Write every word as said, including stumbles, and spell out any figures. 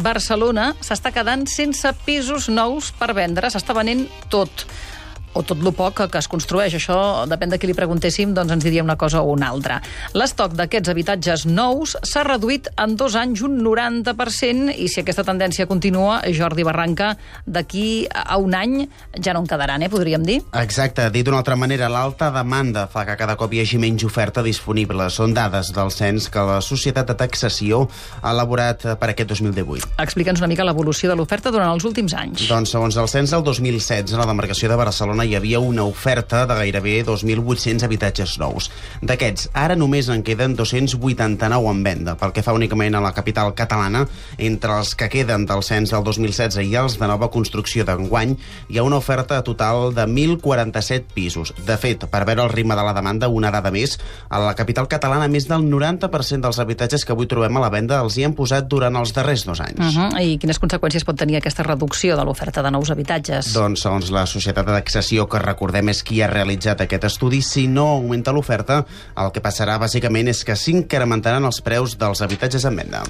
Barcelona s'està quedant sense pisos nous per vendre, s'està venent tot. O tot lo poc que es construeix. Això, depèn de qui li preguntéssim, doncs ens diria una cosa o una altra. L'estoc d'aquests habitatges nous s'ha reduït en dos anys un noranta per cent i si aquesta tendència continua, Jordi Barranca, d'aquí a un any ja no en quedaran, eh, podríem dir? Exacte. Dit d'una altra manera, l'alta demanda fa que cada cop hi hagi menys oferta disponible. Són dades del cens que la Societat de Taxació ha elaborat per aquest dos mil divuit. Explica'ns una mica l'evolució de l'oferta durant els últims anys. Doncs segons el cens del dos mil setze, a la demarcació de Barcelona hi havia una oferta de gairebé dos mil vuit-cents habitatges nous. D'aquests, ara només en queden dos-cents vuitanta-nou en venda. Pel que fa únicament a la capital catalana, entre els que queden del cens del dos mil setze i els de nova construcció d'enguany, hi ha una oferta total de mil quaranta-set pisos. De fet, per veure el ritme de la demanda, una dada més, a la capital catalana més del noranta per cent dels habitatges que avui trobem a la venda els hi han posat durant els darrers dos anys. Uh -huh. I quines conseqüències pot tenir aquesta reducció de l'oferta de nous habitatges? Doncs, segons la Societat de Taxació, que recordem és qui ha realitzat aquest estudi, si no augmenta l'oferta, el que passarà bàsicament és que s'incrementaran els preus dels habitatges en venda.